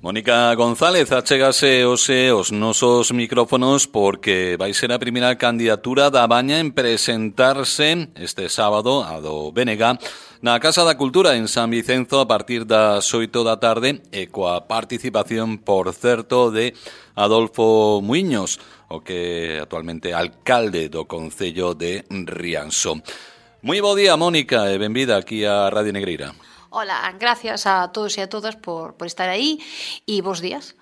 Mónica González, achégase hoxe os nosos micrófonos porque vai ser a primeira candidatura da Baña en presentarse este sábado a do BNG na Casa da Cultura en San Vicenzo a partir das 8 da tarde e coa participación, por certo, de Adolfo Muiños, o que actualmente é alcalde do Concello de Rianxo. Moi bo día, Mónica, e benvida aquí a Radio Negreira. Hola, gracias a todos e a todas por estar aí e bons días.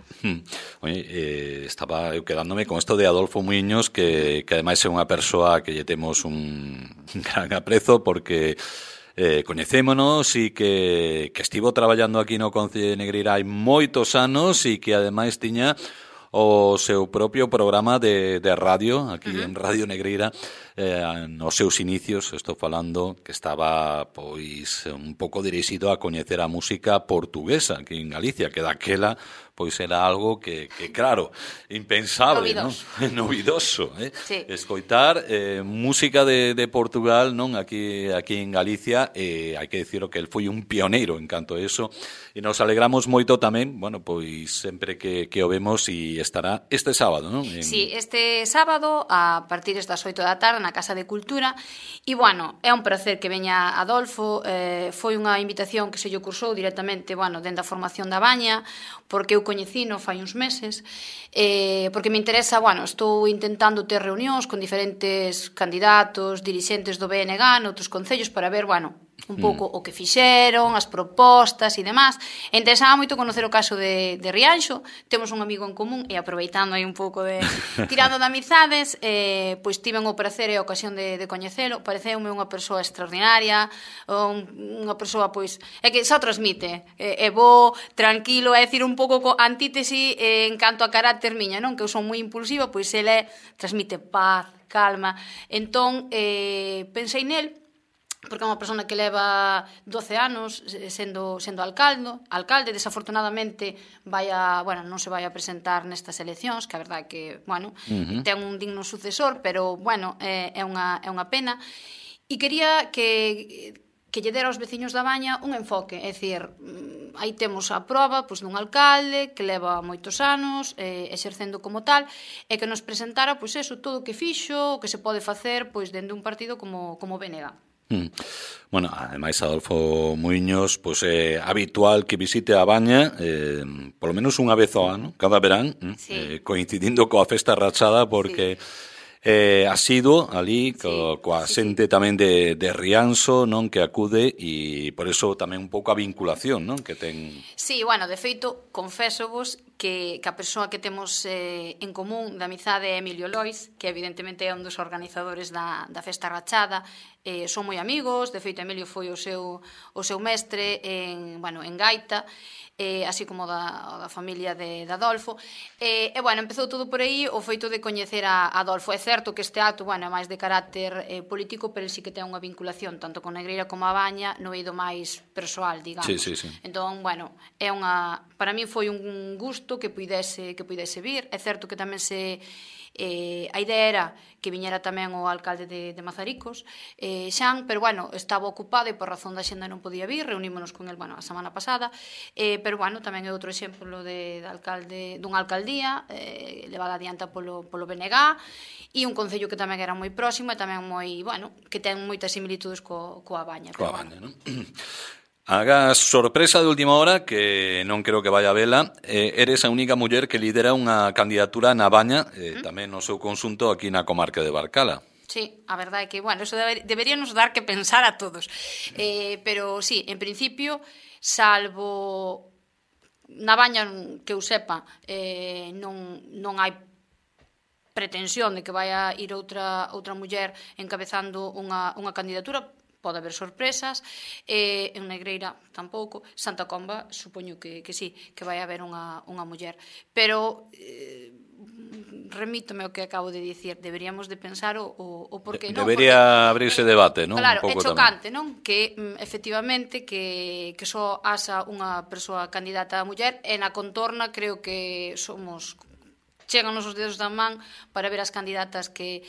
Oye, estaba eu quedándome con isto de Adolfo Muiños, que ademais é unha persoa que lle temos un gran aprezo porque coñecémonos e que estivo traballando aquí no Concello de Negreira hai moitos anos e que ademais tiña o seu propio programa de radio aquí en Radio Negreira nos seus inicios, estou falando que estaba pois un pouco dirixido a coñecer a música portuguesa aquí en Galicia, que daquela pois era algo que claro, impensable, novidoso, non? Novidoso, Sí. Escoitar música de Portugal, non? Aquí en Galicia, hai que dicirlo que el foi un pioneiro en canto a eso, e nos alegramos moito tamén, bueno, pois sempre que o vemos e estará este sábado, non? Sí, este sábado a partir das 8 da tarde na Casa de Cultura e, bueno, é un placer que veña Adolfo, foi unha invitación que se lle cursou directamente, bueno, dende a formación da Baña, porque eu coñecino fai uns meses, porque me interesa, bueno, estou intentando ter reunións con diferentes candidatos, dirixentes do BNG noutros concellos para ver, bueno, un pouco o que fixeron, as propostas e demás. Interesaba moito conocer o caso de Rianxo, temos un amigo en común e aproveitando aí un pouco de tirando de amizades, pois tiven o prazer e a ocasión de coñecelo, pareceume unha persoa extraordinaria, unha persoa pois é que xa transmite, é bo, tranquilo, é dicir un pouco co antítesi en canto a carácter miña, non? Que eu son moi impulsiva, pois ele transmite paz, calma. Entón, pensei nel porque é unha persona que leva 12 anos sendo alcalde, desafortunadamente non se vai a presentar nestas eleccións, que a verdade é que, bueno, ten un digno sucesor, pero, bueno, é unha pena. E quería que lle dera aos veciños da Baña un enfoque, é dicir, aí temos a proba pois, dun alcalde que leva moitos anos exercendo como tal e que nos presentara pois eso, todo o que fixo, o que se pode facer pois dende un partido como BNG. Bueno, ademais Adolfo Muiños pois é habitual que visite a Baña polo menos unha vez ao ano, cada verán, sí. Coincidindo coa festa rachada porque asiduo ali coa xente tamén de Rianxo, non, que acude e por eso tamén un pouco a vinculación, non, que ten. Sí, bueno, de feito, confésovos que a persoa que temos en común da amizade é Emilio Lois, que evidentemente é un dos organizadores da festa rachada. Son moi amigos, de feito Emilio foi o seu mestre en gaita, así como da familia de Adolfo. Bueno, empezou todo por aí o feito de coñecer a Adolfo. É certo que este acto, bueno, é máis de carácter político, pero sí que ten unha vinculación tanto con Negreira como a Baña no eido máis persoal, digamos. Sí. Entón, bueno, para mí foi un gusto que puidese vir. É certo que tamén a idea era que viñera tamén o alcalde de Mazaricos, Xan, pero, bueno, estaba ocupado e por razón da xenda non podía vir, reunímonos con el, bueno, a semana pasada, pero, bueno, tamén é outro exemplo dunha alcaldía levada adianta polo BNG e un concello que tamén era moi próximo e tamén moi, bueno, que ten moitas similitudes coa Baña. Coa Baña, non? Haga sorpresa de última hora, que non creo que vaya a vela, eres a única muller que lidera unha candidatura na Baña, tamén no seu conxunto aquí na comarca de Barcala. Sí, a verdade é que, bueno, eso deberíanos dar que pensar a todos. Pero, sí, en principio, salvo na Baña, que eu sepa, non hai pretensión de que vai a ir outra muller encabezando unha candidatura. Pode haber sorpresas, en Negreira tampouco, Santa Comba supoño que sí, que vai haber unha muller, pero remítome ao que acabo de dicir, deberíamos de pensar o porqué non. Debería abrirse debate, non? Claro, é chocante, non? Que efectivamente que só haxa unha persoa candidata a muller e na contorna creo que chegan os dedos da man para ver as candidatas que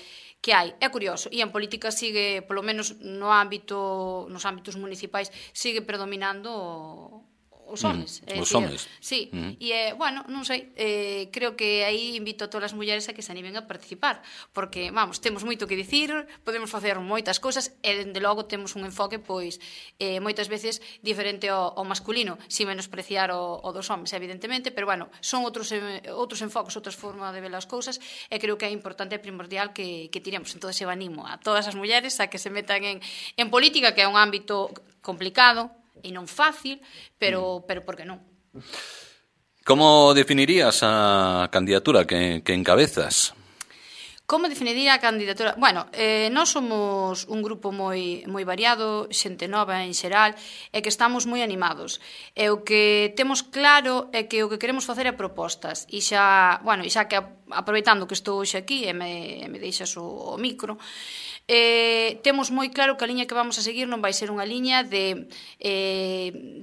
hai. É curioso, e en política sigue, polo menos nos ámbitos municipais, sigue predominando o os homes. Os homes. Sí, e, bueno, non sei, creo que aí invito a todas as mulleres a que se animen a participar, porque, vamos, temos moito que dicir, podemos facer moitas cousas, e, dende logo, temos un enfoque, pois, moitas veces diferente ao masculino, sin menospreciar o dos homes, evidentemente, pero, bueno, son outros enfoques, outras formas de ver as cousas, e creo que é importante e primordial que tiremos. Entón, eu animo a todas as mulleres a que se metan en política, que é un ámbito complicado e non fácil, pero por que non? Como definirías a candidatura que encabezas? Como definiría a candidatura? Bueno, nós somos un grupo moi variado, xente nova en xeral, e que estamos moi animados. E o que temos claro é que o que queremos facer é propostas. E xa que aproveitando que estou hoxe aquí e me deixas o micro, temos moi claro que a liña que vamos a seguir non vai ser unha liña de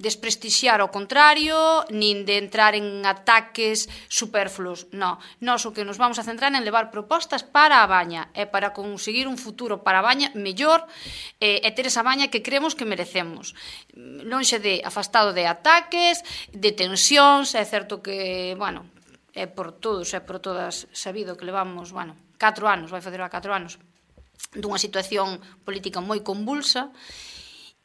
desprestixiar ao contrario, nin de entrar en ataques superfluos. Non, nós o que nos vamos a centrar en levar propostas para a Baña e para conseguir un futuro para a Baña mellor e ter esa Baña que creemos que merecemos. Lonxe de afastado de ataques, de tensións, é certo que, bueno, é por todos e por todas sabido que levamos, 4 anos, vai facer 4 anos, dunha situación política moi convulsa,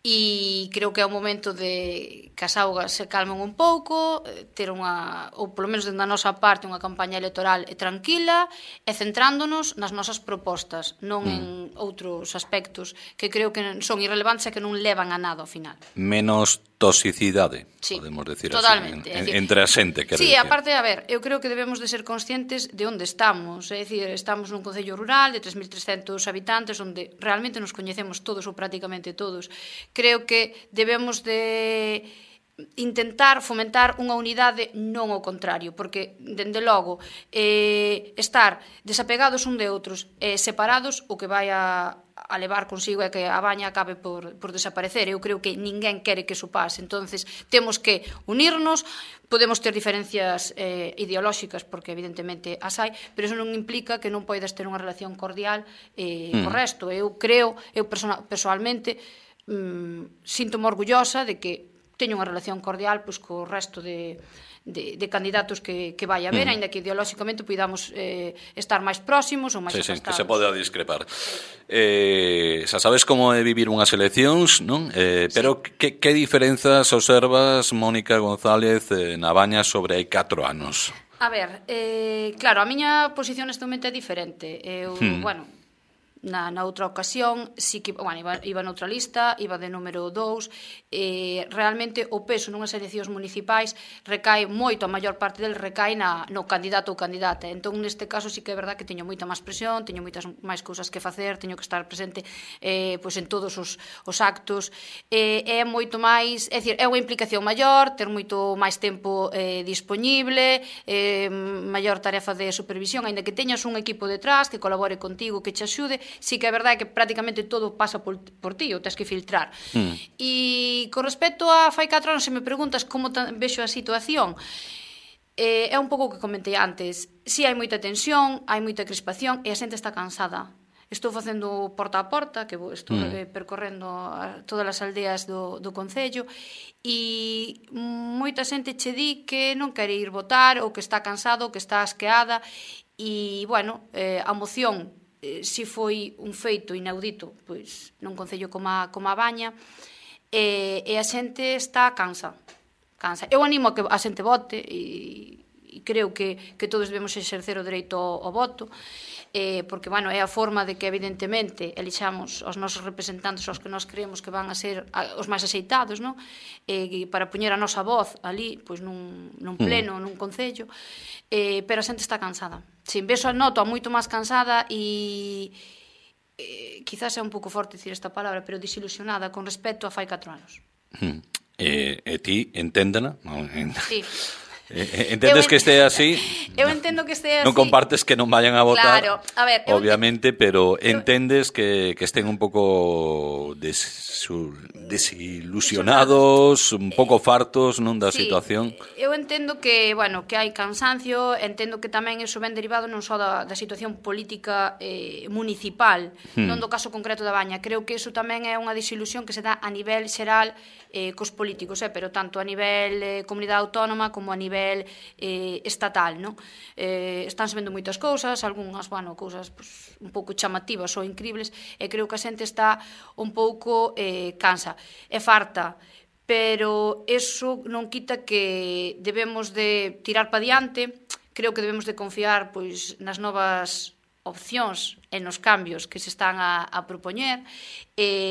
e creo que é o momento de que as augas se calmen un pouco, ter ou polo menos dentro da nosa parte, unha campaña electoral tranquila e centrándonos nas nosas propostas, non en outros aspectos que creo que son irrelevantes e que non levan a nada ao final. Menos toxicidade, sí, podemos decir totalmente, así, entre a xente. Sí, aparte, a ver, eu creo que debemos de ser conscientes de onde estamos, é dicir, estamos nun concello rural de 3.300 habitantes onde realmente nos coñecemos todos ou prácticamente todos. Creo que debemos de intentar fomentar unha unidade, non o contrario, porque, dende logo, estar desapegados un de outros e separados, o que vai a levar consigo é que a Baña acabe por desaparecer. Eu creo que ninguén quere que iso pase. Entonces, temos que unirnos, podemos ter diferencias ideolóxicas, porque evidentemente as hai, pero iso non implica que non poidas ter unha relación cordial co resto. Eu creo, personalmente, sinto-me orgullosa de que teño unha relación cordial co resto de candidatos que vai haber, aínda que ideolóxicamente podamos estar máis próximos ou máis afastados. Que se pode discrepar. Xa sabes como é vivir unhas eleccións, non? Pero que diferenzas observas, Mónica González, na Baña sobre hai 4 anos? A ver, claro, a miña posición neste momento é diferente. Eu, na outra ocasión, sí que, iba noutra lista, iba de número 2, realmente o peso nunhas eleccións municipais recae moito, a maior parte del recae no candidato ou candidata. Entón, neste caso, sí que é verdad que teño moita máis presión, teño moitas máis cousas que facer, teño que estar presente en todos os actos, é moito máis, é dicir, é unha implicación maior, ter moito máis tempo dispoñible, maior tarefa de supervisión, aínda que teñas un equipo detrás que colabore contigo, que te axude. Sí que é verdade que prácticamente todo pasa por ti, ou tens que filtrar. E con respecto a fai 4 anos, se me preguntas como vexo a situación, é un pouco o que comentei antes. Si hai moita tensión, hai moita crispación e a xente está cansada. Estou facendo porta a porta, que estou percorrendo todas as aldeas do concello, e moita xente che di que non quere ir votar, ou que está cansado, ou que está asqueada, e, a moción si foi un feito inaudito, pois nun concello como a Baña, e a xente está cansa. Eu animo a que a xente vote e creo que todos debemos exercer o dereito ao voto, porque, é a forma de que, evidentemente, elixamos os nosos representantes, os que nós creemos que van a ser os máis axeitados, non? Para poñer a nosa voz ali, pois nun pleno, nun concello, pero a xente está cansada. Sin beso noto a moito máis cansada e quizás é un pouco forte dicir esta palabra, pero desilusionada con respecto a fai 4 anos. E ti, enténdena? Sí. Entendes que este así? Eu entendo que este así. Non compartes que non vayan a votar, claro, a ver, obviamente, pero entendes que estén un pouco desilusionados, un pouco fartos non da situación. Eu entendo que, bueno, que hai cansancio, entendo que tamén iso ven derivado non só da situación política municipal, non do caso concreto da Baña. Creo que iso tamén é unha desilusión que se dá a nivel xeral cos políticos, pero tanto a nivel comunidade autónoma como a nivel estatal, non? Estánse vendo moitas cousas, algunhas, bueno, cousas pues, un pouco chamativas ou incribles, e creo que a xente está un pouco cansa. É farta, pero eso non quita que debemos de tirar pa diante. Creo que debemos de confiar pois nas novas opcións e nos cambios que se están a propoñer,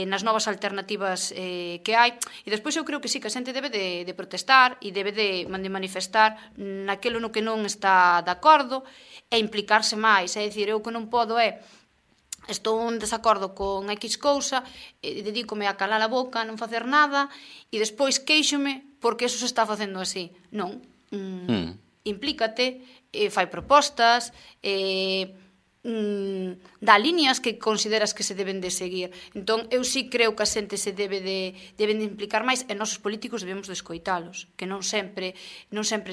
nas novas alternativas que hai, e despois eu creo que sí, que a xente debe de protestar e debe de manifestar naquilo no que non está de acordo e implicarse máis, é dicir, eu que non podo estou en desacordo con X cousa, dedícome a calar a boca, non facer nada, e despois queixome porque eso se está facendo así. Non. Implícate, fai propostas, dá líneas que consideras que se deben de seguir. Entón, eu sí creo que a xente se deben de implicar máis e nós os políticos debemos de escoitalos, que non sempre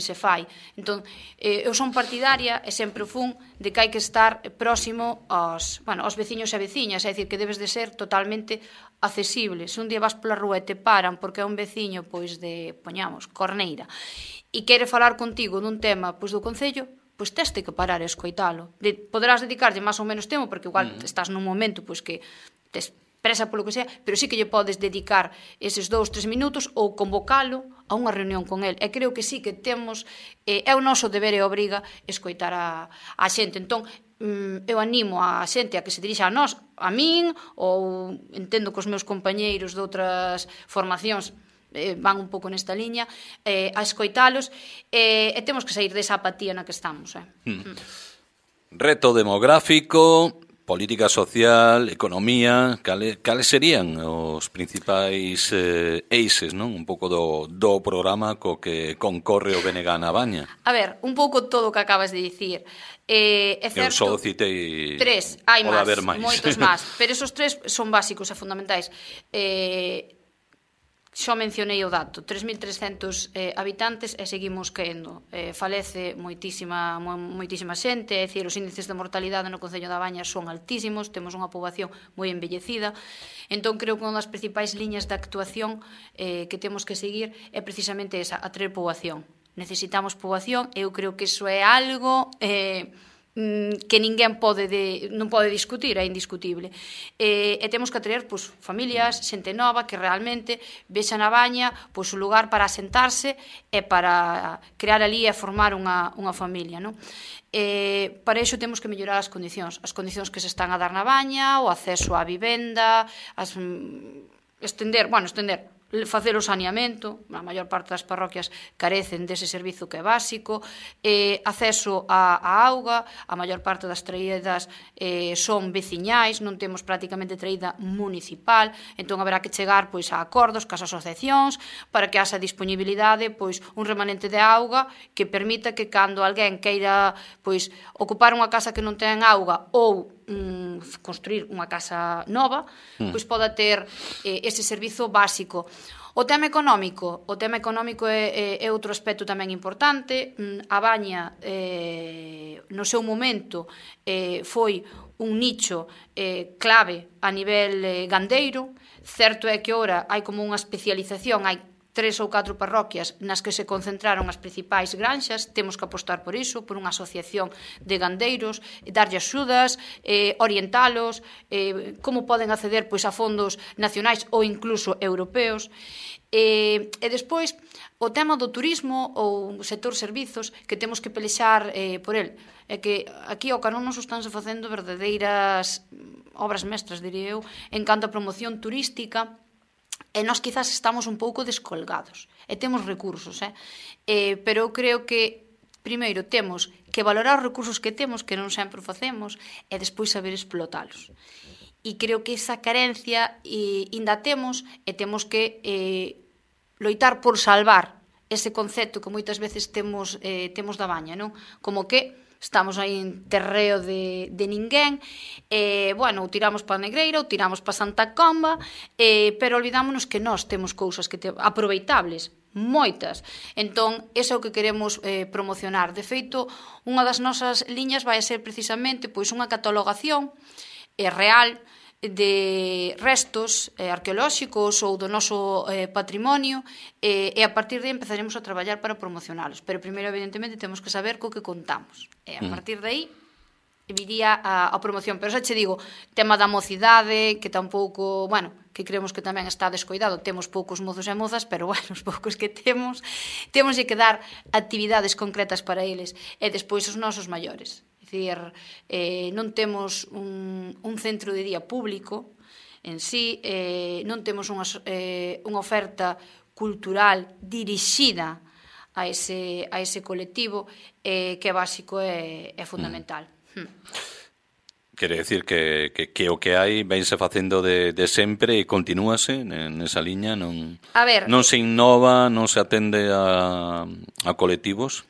se fai. Entón, eu son partidaria e sempre fun de que hai que estar próximo aos veciños e veciñas, é dicir, que debes de ser totalmente accesible. Se un día vas pola rúa e te paran porque é un veciño, pois de, poñamos, Corneira, e quere falar contigo dun tema pois do concello, pois teste que parar e escoitalo. Poderás dedicarlle máis ou menos tempo, porque igual estás nun momento pois que te expresa polo que sea, pero sí que lle podes dedicar eses 2-3 minutos ou convocalo a unha reunión con el. E creo que sí que temos, é o noso deber e obriga escoitar a xente. Entón, eu animo a xente a que se dirixa a nós, a min, ou entendo que os meus compañeiros de outras formacións van un pouco nesta liña, a escoitalos, e temos que sair desa apatía na que estamos. Reto demográfico, política social, economía, cales serían os principais eixes, non? Un pouco do programa co que concorre o BNG na Baña. A ver, un pouco todo o que acabas de dicir. É certo, eu só citei 3, hai máis, moitos máis, pero esos 3 son básicos e fundamentais. Xo mencionei o dato, 3.300 habitantes e seguimos caendo. Falece moitísima xente, é dicir, os índices de mortalidade no Concello da Baña son altísimos, temos unha poboación moi envellecida, entón creo que unha das principais liñas de actuación que temos que seguir é precisamente esa, atraer poboación. Necesitamos poboación, eu creo que iso é algo que ninguén non pode discutir, é indiscutible. E temos que atraer familias, xente nova que realmente vexa na Baña un lugar para asentarse e para crear ali e formar unha familia, non? Para iso temos que mellorar as condicións que se están a dar na Baña, o acceso á vivenda, estender facer o saneamento, a maior parte das parroquias carecen dese servizo que é básico, acceso á auga, a maior parte das traídas son veciñais, non temos prácticamente traída municipal, entón haberá que chegar a acordos cas asociacións para que haxa disponibilidade un remanente de auga que permita que cando alguén queira ocupar unha casa que non ten auga ou construir unha casa nova, poda ter ese servizo básico. O tema económico é outro aspecto tamén importante. A Baña, no seu momento, foi un nicho clave a nivel gandeiro. Certo é que ora hai como unha especialización, hai 3 ou 4 parroquias nas que se concentraron as principais granxas, temos que apostar por iso, por unha asociación de gandeiros, darlle axudas, orientalos, como poden acceder a fondos nacionais ou incluso europeos. E despois, o tema do turismo ou o sector servizos, que temos que pelexar por el. É que aquí ao Carón nos estánse facendo verdadeiras obras mestras, diría eu, en canto a promoción turística, e nós quizás estamos un pouco descolgados e temos recursos, pero eu creo que primeiro temos que valorar os recursos que temos, que non sempre facemos, e despois saber explotalos. E creo que esa carencia ainda temos e temos que loitar por salvar ese concepto que moitas veces temos da baña, non? Como que estamos aí en terreo de ninguén, bueno, ou tiramos para a Negreira, ou tiramos para Santa Comba, pero olvidámonos que nós temos cousas que aproveitables, moitas. Entón, iso é o que queremos promocionar. De feito, unha das nosas liñas vai ser precisamente pois unha catalogación real de restos arqueolóxicos ou do noso patrimonio, e a partir de aí empezaremos a traballar para promocionalos. Pero primeiro, evidentemente, temos que saber co que contamos. E a partir de aí viría a promoción. Pero xa che digo, tema da mocidade, que tampouco, bueno, que creemos que tamén está descoidado. Temos poucos mozos e mozas, pero, bueno, os poucos que temos que dar actividades concretas para eles. E despois os nosos maiores. Dicir, non temos un centro de día público en sí, non temos unha oferta cultural dirixida a ese colectivo, que é básico e fundamental. Quere decir que o que hai vense facendo de sempre e continúase nesa liña, non se innova, non se atende a colectivos?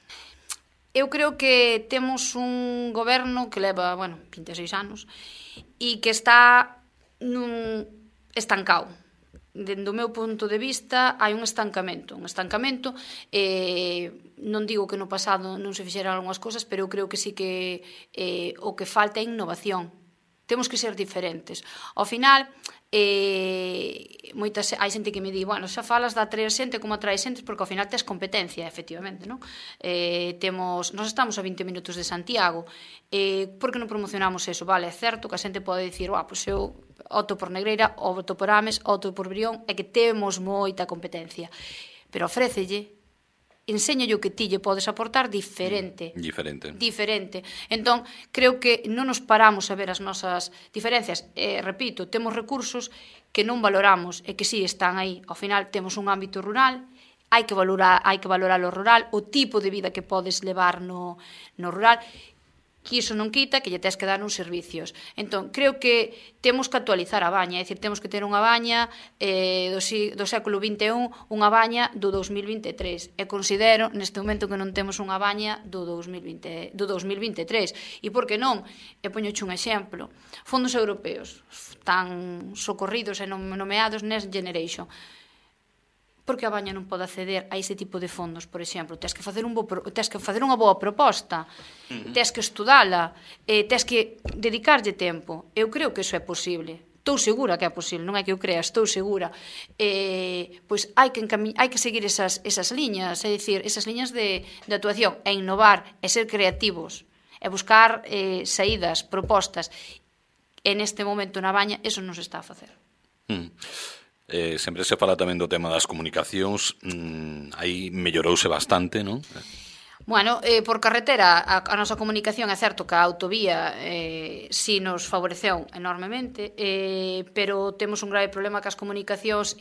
Eu creo que temos un goberno que leva, 26 anos e que está estancado. Dende o meu punto de vista, hai un estancamento. Non digo que no pasado non se fixeran algunhas cousas, pero eu creo que sí que o que falta é innovación. Temos que ser diferentes. Ao final, hai xente que me di, xa falas de atraer xente, como atraer xente, porque ao final tes competencia, efectivamente, non? Nós estamos a 20 minutos de Santiago, por que non promocionamos eso? Vale, é certo que a xente pode dicir, pois eu opto por Negreira, opto por Ames, opto por Brión, é que temos moita competencia, pero ofrécelle, enséñalle o que ti lle podes aportar diferente. Entón, creo que non nos paramos a ver as nosas diferencias. Repito, temos recursos que non valoramos e que sí están aí. Ao final, temos un ámbito rural, hai que valorar o rural, o tipo de vida que podes levar no rural, que iso non quita que lle tes que dar uns servicios. Entón, creo que temos que actualizar a baña, é dicir, temos que ter unha baña do século XXI, unha baña do 2023. E considero, neste momento, que non temos unha baña do 2023. E por que non? E poñoche un exemplo. Fondos europeos tan socorridos e nomeados Next Generation. Porque a baña non pode acceder a ese tipo de fondos, por exemplo? Tes que facer unha boa proposta, tes que estudala, tes que dedicarlle tempo. Eu creo que iso é posible. Estou segura que é posible, non é que eu crea, estou segura. Pois hai que seguir esas liñas, é dicir, esas liñas de actuación, e innovar, e ser creativos, e buscar saídas, propostas. E neste momento na baña, eso non se está a facer. Sempre se fala tamén do tema das comunicacións, aí mellorouse bastante, non? Bueno, por carretera a nosa comunicación é certo que a autovía si nos favoreceu enormemente, pero temos un grave problema cas comunicacións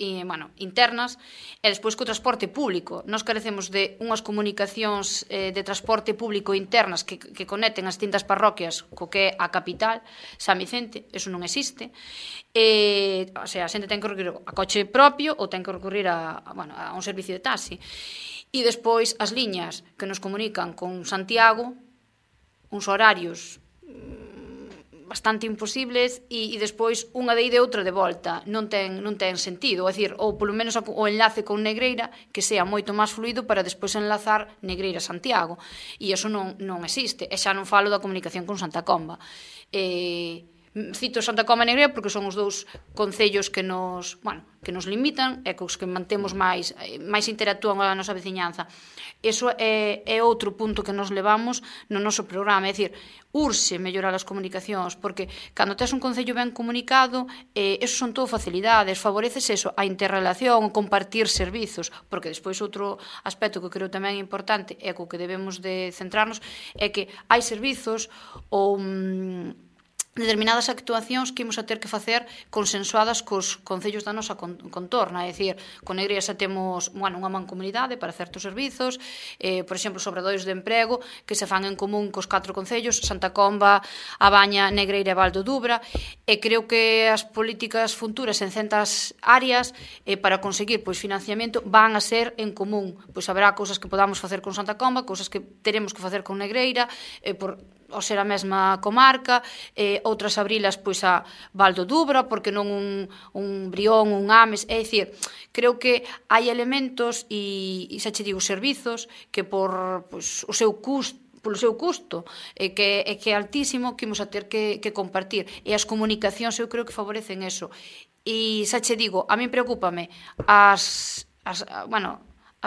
internas e despois co transporte público. Nós carecemos de unhas comunicacións de transporte público internas que conecten as distintas parroquias co que é a capital, San Vicente, eso non existe. A xente ten que recurrir a coche propio ou ten que recurrir a un servicio de taxi. E despois as liñas que nos comunican con Santiago, uns horarios bastante imposibles, e despois unha de ida e outra de volta. Non ten sentido, é dicir, ou polo menos o enlace con Negreira que sea moito máis fluido para despois enlazar Negreira-Santiago. E iso non existe. E xa non falo da comunicación con Santa Comba. Cito Santa Comba e Negreira porque son os dous concellos que nos limitan e cos que mantemos máis interactúan a nosa veciñanza. Iso é outro punto que nos levamos no noso programa, é dicir, urxe mellorar as comunicacións, porque cando tes un concello ben comunicado, eso son todo facilidades, favoreces eso, a interrelación, o compartir servizos, porque despois outro aspecto que creo tamén importante e co que debemos de centrarnos é que hai servizos ou determinadas actuacións que imos a ter que facer consensuadas cos concellos da nosa contorna, é dicir, con Negreira xa temos, unha mancomunidade para certos servizos, por exemplo, os obradoiros de emprego que se fan en común cos 4 concellos, Santa Comba, A Baña, Negreira e Val do Dubra, e creo que as políticas futuras en centas áreas para conseguir financiamento van a ser en común. Haberá cousas que podamos facer con Santa Comba, cousas que teremos que facer con Negreira, ao ser a mesma comarca, outras abrilas a Val do Dubra, porque non un Brión, un Ames, é dicir, creo que hai elementos e xa che digo, servizos que por o seu custo, polo seu custo, que é altísimo, que imos a ter que compartir. E as comunicacións eu creo que favorecen eso. E xa che digo, a min preocúpame as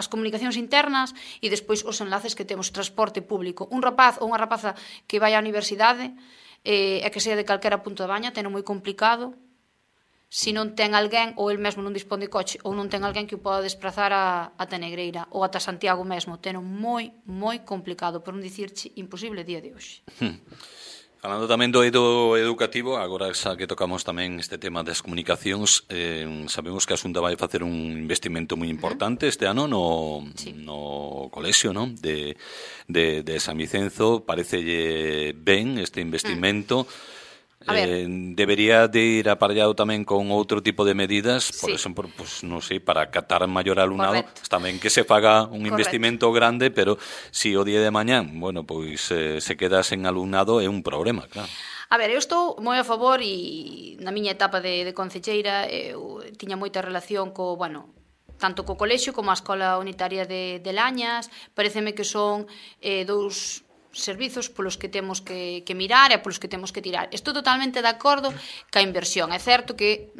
comunicacións internas e despois os enlaces que temos, transporte público. Un rapaz ou unha rapaza que vai á universidade e que sea de calquera punto da Baña, teno moi complicado se non ten alguén, ou el mesmo non dispón de coche, ou non ten alguén que o poda desplazar ata Negreira ou ata Santiago mesmo. Teno moi, moi complicado, por non dicirche imposible día de hoxe. Falando tamén do eido educativo, agora xa que tocamos tamén este tema das comunicacións, sabemos que a Xunta vai facer un investimento moi importante este ano no colexio, non? De San Vicenzo. Parecelle ben este investimento. Debería de ir aparellado tamén con outro tipo de medidas, por exemplo, non sei, para catar maior alumnado. Está ben que se faga un investimento grande, pero se o día de mañán, se queda sen alumnado é un problema, claro. A ver, eu estou moi a favor e na miña etapa de concelleira eu tiña moita relación tanto co colexio como a Escola Unitaria de Lañas. Pareceme que son dous servizos polos que temos que mirar e polos que temos que tirar. Estou totalmente de acordo ca inversión. É certo que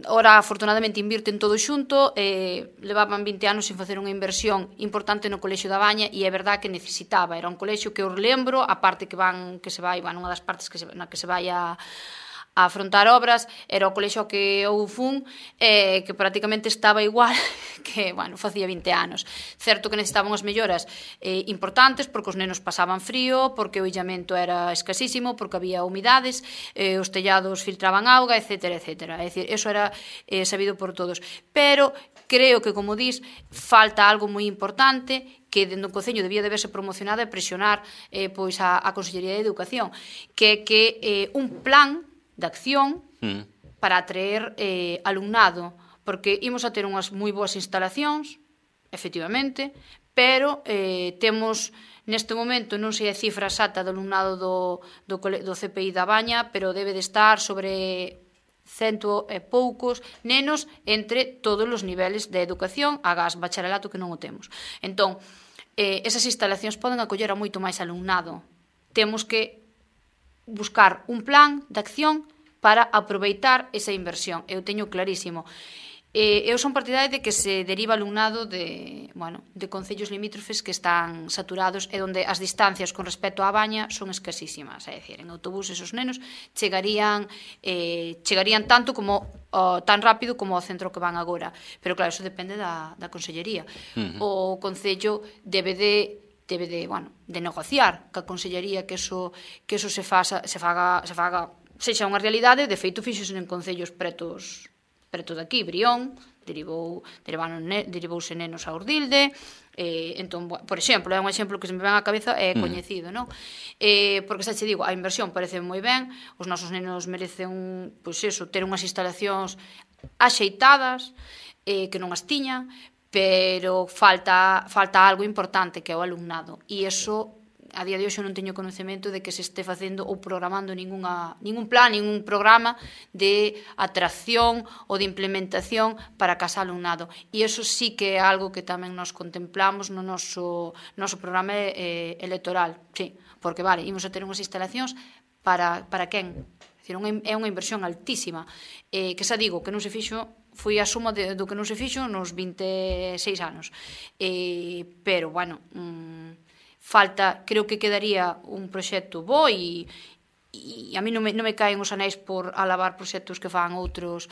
ora afortunadamente invirten todo xunto, levaban 20 anos sin facer unha inversión importante no colexio da Baña e é verdad que necesitaba. Era un colexio que eu lembro, a parte que se vai, unha das partes na que se vai a afrontar obras, era o colexio que eu fun, que prácticamente estaba igual que, facía 20 anos. Certo que necesitaban as melloras importantes, porque os nenos pasaban frío, porque o illamento era escasísimo, porque había humidades, os tellados filtraban auga, etcétera, etcétera. É dicir, eso era sabido por todos. Pero creo que, como dis, falta algo moi importante que dentro do Concello debía de verse promocionado e presionar a Consellería de Educación, que é un plan de acción para atraer alumnado, porque imos a ter unhas moi boas instalacións, efectivamente, pero temos neste momento, non sei a cifra exacta do alumnado do CPI da Baña, pero debe de estar sobre 100 e poucos nenos entre todos os niveles de educación, agás bacharelato que non o temos. Entón, esas instalacións poden acoller a moito máis alumnado. Temos que buscar un plan de acción para aproveitar esa inversión. Eu teño clarísimo. Eu son partidaria de que se deriva alumnado de concellos limítrofes que están saturados e onde as distancias con respecto á Baña son escasísimas. É dicir, en autobús esos nenos chegarían tan rápido como ao centro que van agora. Pero claro, eso depende da Consellería. O Concello debe de negociar ca Consellería que eso se faga, sexa unha realidade. De feito, fixose en concellos preto daqui, Brión, derivouse nenos a Urdilde, entón, por exemplo, é un exemplo que se me ven á cabeza, é coñecido, non? Porque xa che digo, a inversión parece moi ben, os nosos nenos merecen ter unhas instalacións axeitadas, que non as tiñan, pero falta algo importante, que é o alumnado, e iso a día de hoxe non teño conocemento de que se este facendo ou programando ningún plan, ningún programa de atracción ou de implementación para casa alumnado. E iso sí que é algo que tamén nos contemplamos no noso programa electoral. Sí, porque imos a ter unhas instalacións para quen? É unha inversión altísima, que xa digo, que non se fixo, foi a suma do que non se fixo nos 26 anos. Pero, creo que quedaría un proxecto bo e a mí non me caen os anéis por alabar proxectos que fan outros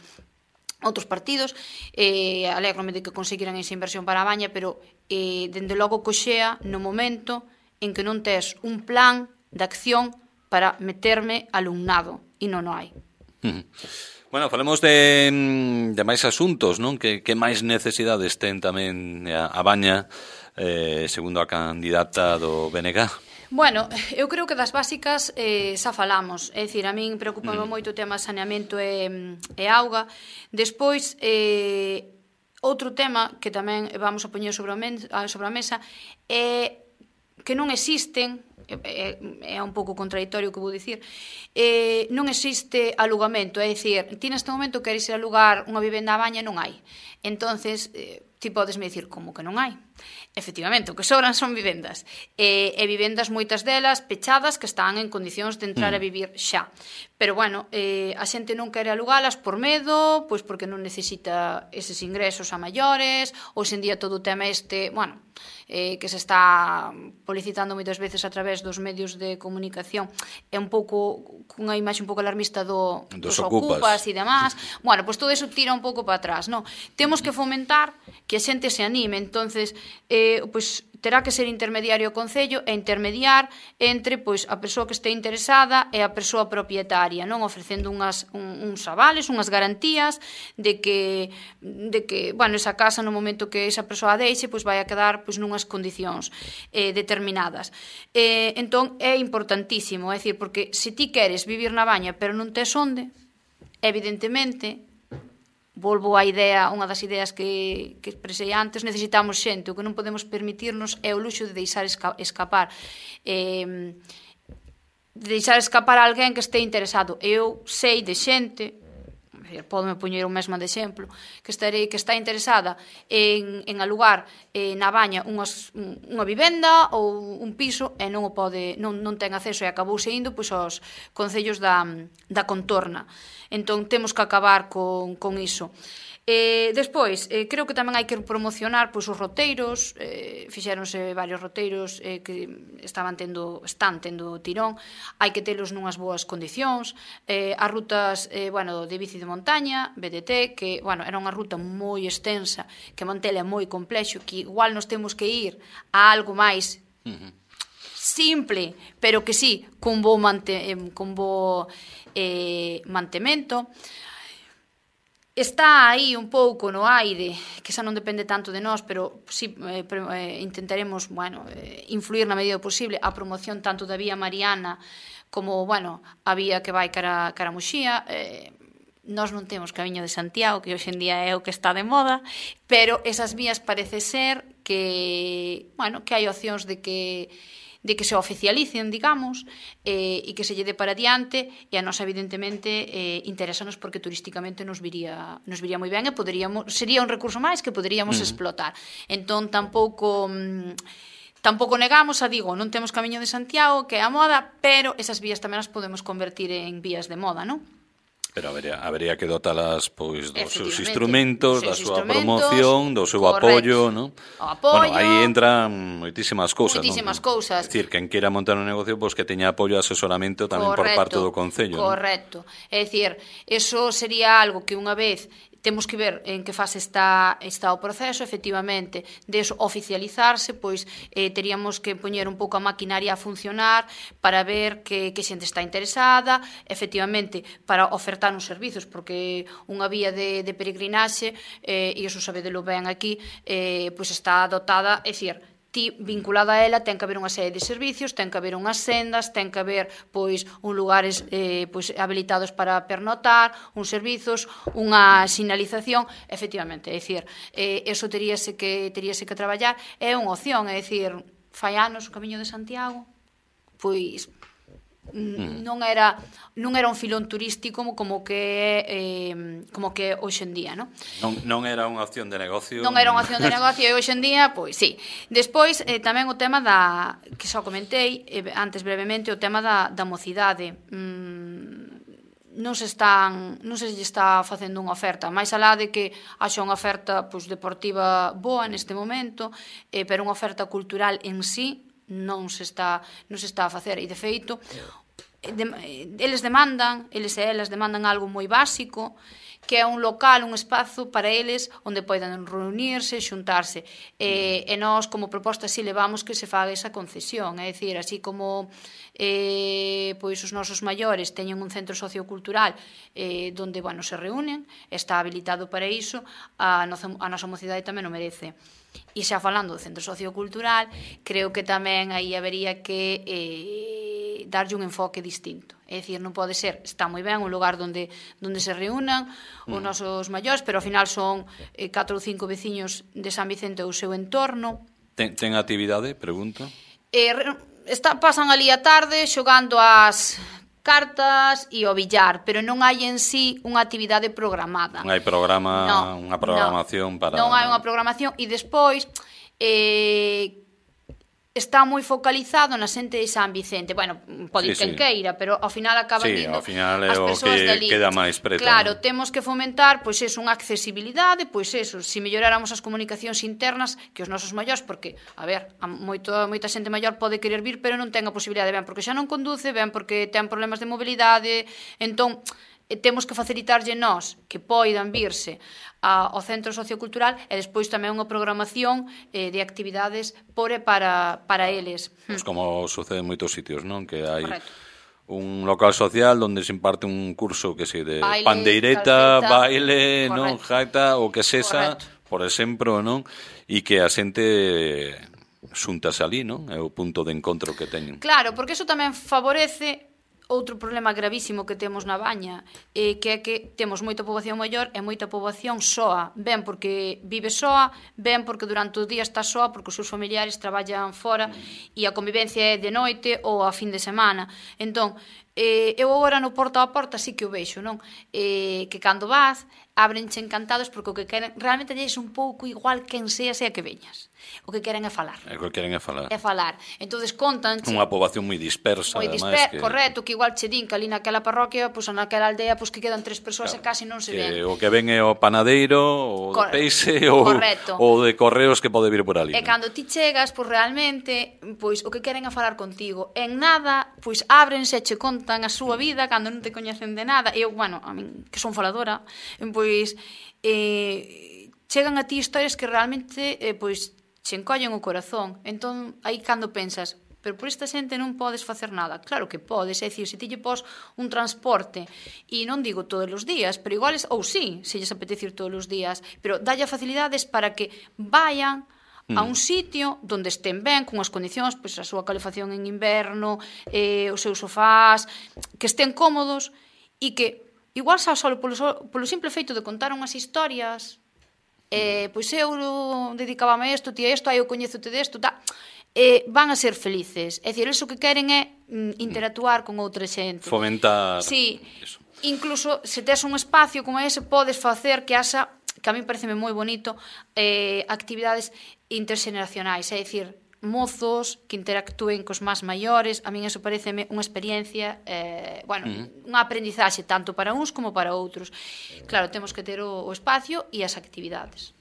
partidos. Alégrome de que conseguiran esa inversión para a Baña, pero dende logo coxea no momento en que non tes un plan de acción para meterme alumnado, e non o hai. Bueno, falemos de máis asuntos, non? Que máis necesidades ten tamén a Baña, segundo a candidata do BNG? Bueno, eu creo que das básicas xa falamos. É dicir, a min preocupa moito o tema saneamento e auga. Despois, outro tema que tamén vamos a poñer sobre a mesa é que non existen, é un pouco contradictorio o que vou dicir, non existe alugamento, é dicir, ti neste momento queres ir alugar unha vivenda a Baña e non hai. Entonces, ti podesme dicir, como que non hai? Efectivamente, o que sobran son vivendas. E vivendas, moitas delas, pechadas, que están en condicións de entrar a vivir xa. Pero, bueno, a xente non quere alugalas por medo, pois porque non necesita eses ingresos a maiores, hoxe en día todo o tema bueno, que se está publicitando moitas veces a través dos medios de comunicación, é un pouco cunha imaxe un pouco alarmista dos ocupas e demás. Bueno, pois todo eso tira un pouco para atrás, non? Temos que fomentar que a xente se anime, entonces pois terá que ser intermediario o Concello e intermediar entre pois a persoa que este interesada e a persoa propietaria, non, ofrecendo uns avales, unhas garantías de que bueno, esa casa no momento que esa persoa a deixe, pois vai a quedar pois nunhas condicións determinadas. Entón é importantísimo, é dicir, porque se ti queres vivir na Baña pero non tes onde, evidentemente, volvo á idea, unha das ideas que expresei antes, necesitamos xente, o que non podemos permitirnos é o luxo de deixar escapar a alguén que este interesado. Eu sei de xente, podeme poñer un mesmo de exemplo, que está interesada en alugar na Baña unha vivenda ou un piso e non ten acceso e acabouse indo pois aos concellos da contorna. Entón temos que acabar con iso. Despois, creo que tamén hai que promocionar pois os roteiros, fixéronse varios roteiros que están tendo tirón, hai que telos nunhas boas condicións, as rutas, bueno, de bici de montaña, BDT, que, bueno, era unha ruta moi extensa, que mantela é moi complexo, que igual nos temos que ir a algo máis simple, pero que sí, con bo mantemento. Está aí un pouco no aire, que xa non depende tanto de nós, pero sí intentaremos, bueno, influir na medida posible a promoción tanto da vía Mariana como, bueno, a vía que vai cara a Muxía. Nós non temos Camiño de Santiago, que hoxe en día é o que está de moda, pero esas vías parece ser que, bueno, que hai opcións de que se oficialicen, digamos, e que se lle dé para diante, e a nós, evidentemente, interesanos porque turísticamente nos viría moi ben e sería un recurso máis que poderíamos explotar. Entón, tampouco negamos, non temos Camiño de Santiago, que é a moda, pero esas vías tamén as podemos convertir en vías de moda, non? Pero habería que dotalas pois dos seus instrumentos, da súa promoción, do seu apoio, non? Bueno, aí entran moitísimas cousas, non? É dicir, quen queira montar un negocio, pois que teña apoio e asesoramento tamén por parte do Concello, non? Correcto. É dicir, eso sería algo que unha vez temos que ver en que fase está o proceso, efectivamente, de oficializarse, pois teríamos que poñer un pouco a maquinaria a funcionar para ver que xente está interesada, efectivamente, para ofertar uns servizos, porque unha vía de peregrinaxe, e iso sabedelo ben aquí, pois está dotada, é dicir, ti vinculada a ela ten que haber unha serie de servicios, ten que haber unhas sendas, ten que haber pois un lugares pois habilitados para pernotar, uns servizos, unha sinalización, efectivamente, é dicir, eso teríase que traballar, é unha opción, é dicir, fai anos o Camiño de Santiago, pois non era un filón turístico como que hoxe en día, non? Non era unha opción de negocio. Non era unha opción de negocio e hoxe en día, pois sí. Despois, tamén o tema que xa comentei antes brevemente, o tema da mocidade. Non se lle está facendo unha oferta, máis alá de que haxa unha oferta pois deportiva boa neste momento, pero unha oferta cultural en sí non se está a facer, e de feito eles e elas demandan algo moi básico que é un local, un espazo para eles onde poidan reunirse, xuntarse. E nós, como proposta, si levamos que se faga esa concesión, é dicir, así como pois os nosos maiores teñen un centro sociocultural donde, bueno, se reúnen, está habilitado para iso, a nosa mocidade tamén o merece. E xa falando do centro sociocultural, creo que tamén aí habería que darlle un enfoque distinto. É dicir, non pode ser, está moi ben un lugar onde se reúnan os nosos maiores, pero ao final son 4 ou 5 veciños de San Vicente ou o seu entorno. Ten actividade, pregunta? Pasan ali a tarde xogando as cartas e o billar, pero non hai en sí unha actividade programada. Non hai unha programación para... Non hai unha programación e despois está moi focalizado na xente de San Vicente. Bueno, pode ir quen queira, pero ao final acaban vindo ao final é o que queda máis preto. Claro, temos que fomentar pois eso, unha accesibilidade, pois eso, se melloráramos as comunicacións internas que os nosos maiores, porque, a ver, moita xente maior pode querer vir, pero non ten a posibilidade, ben porque xa non conduce, ben porque ten problemas de mobilidade, entón temos que facilitarlle nós que poidan virse ao centro sociocultural e despois tamén unha programación de actividades para eles. Pues como sucede en moitos sitios, non? Que hai un local social onde se imparte un curso que se de baile, pandeireta, calceta, baile, non, gaita, o que sexa, por exemplo, non? E que a xente xuntase ali, non? É o punto de encontro que teñen. Claro, porque iso tamén favorece outro problema gravísimo que temos na Baña, que é que temos moita poboación maior e moita poboación soa, ben porque vive soa, ben porque durante o día está soa porque os seus familiares traballan fora e a convivencia é de noite ou a fin de semana. Entón, eu agora no porta a porta sí que o vexo, non? Que cando vas, ábrenche encantados porque o que queren, realmente é un pouco igual quen sea que veñas. O que queren é falar. O que queren é falar. É falar. Entonces contanche... Unha poboación moi dispersa, ademais. Correcto, que igual che din que ali naquela parroquia, pois naquela aldea, pois que quedan 3 persoas e casi non se ven. O que ven é o panadeiro, o de peixe, ou de correos que pode vir por ali. E cando ti chegas, pois realmente, pois o que queren é falar contigo. En nada, pois ábrense e che contan a súa vida cando non te coñecen de nada. Eu, bueno, a min, que son faladora, pois chegan a ti historias que realmente, pois, che encollen o corazón. Entón, aí cando pensas, pero por esta xente non podes facer nada. Claro que podes, é dicir, se ti lle pos un transporte, e non digo todos os días, pero iguales, ou sí, se lles apetece ir todos os días, pero dalle facilidades para que vayan a un sitio onde estén ben, con as condicións, pois a súa calefacción en inverno, os seus sofás, que estén cómodos, e que, igual xa só polo simple feito de contar unhas historias, pois eu dedicábame a isto, ti a isto, eu coñézote desto, van a ser felices. É dicir, iso que queren é interactuar con outra xente. Fomentar. Sí, incluso se tes un espacio como ese, podes facer que haxa, que a mí pareceme moi bonito, actividades interxeneracionais, é dicir, mozos que interactúen cos máis maiores. A min eso pareceme unha experiencia, unha aprendizaxe tanto para uns como para outros. Claro, temos que ter o espacio e as actividades.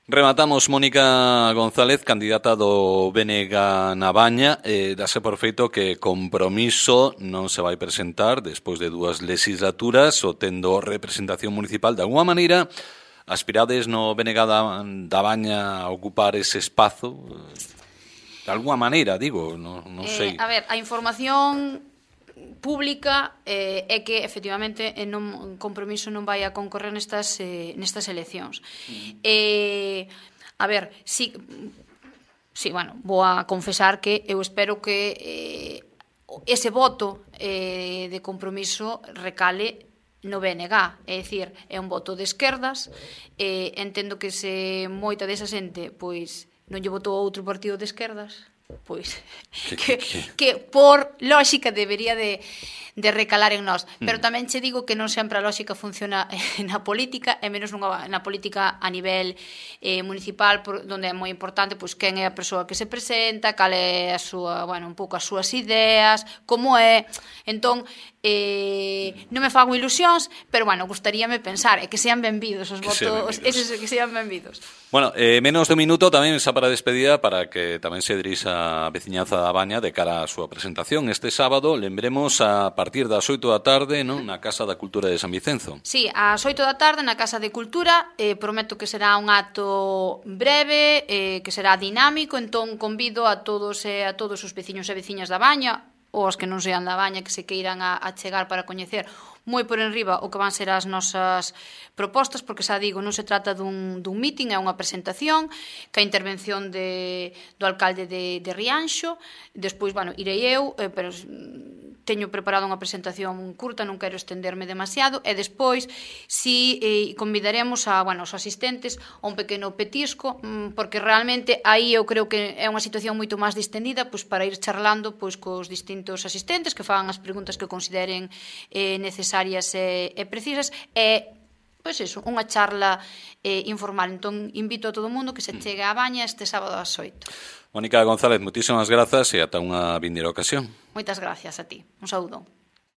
Rematamos, Mónica González, candidata do BNG na Baña. Dase por feito que Compromiso non se vai presentar despois de 2 legislaturas, o tendo representación municipal. De alguma maneira, aspirades no BNG da Baña a ocupar ese espazo? De alguma maneira, digo, non sei. A ver, a información pública é que, efectivamente, Compromiso non vai a concorrer nestas eleccións. A ver, sí, bueno, vou a confesar que eu espero que ese voto de Compromiso recale no BNG, é dicir, é un voto de esquerdas, entendo que se moita desa xente, pois, non lle votou outro partido de esquerdas, pois que por lógica debería de recalar en nós, pero tamén che digo que non sempre a lógica funciona na política, e menos na política a nivel municipal, onde é moi importante pois quen é a persoa que se presenta, cal é a súa, bueno, un pouco as súas ideas, como é. Entón, non me fago ilusións, pero, bueno, gustaríame pensar e que sean benvidos os votos, eses que sean benvidos. Bueno, menos de un minuto tamén xa para a despedida, para que tamén se dirixa a veciñanza da Baña de cara á súa presentación este sábado. Lembremos a partir partir das 8 da tarde, non, na Casa da Cultura de San Vicenzo. Sí, ás 8 da tarde na Casa de Cultura, prometo que será un acto breve, que será dinámico, entón convido a todos e a todos os veciños e veciñas da Baña, ou os que non sean da Baña, que se queiran a chegar para coñecer moi por enriba o que van ser as nosas propostas, porque xa digo, non se trata dun meeting, é unha presentación, que a intervención do alcalde de Rianxo, despois, bueno, irei eu, pero teño preparado unha presentación curta, non quero estenderme demasiado, e despois si convidaremos os asistentes a un pequeno petisco, porque realmente aí eu creo que é unha situación moito máis distendida, pois para ir charlando pois cos distintos asistentes que fagan as preguntas que consideren necesarias e precisas, e pois iso, unha charla informal. Entón invito a todo o mundo que se chegue á Baña este sábado ás 8. Mónica González, moitísimas grazas e ata unha vindeira ocasión. Moitas gracias a ti. Un saúdo.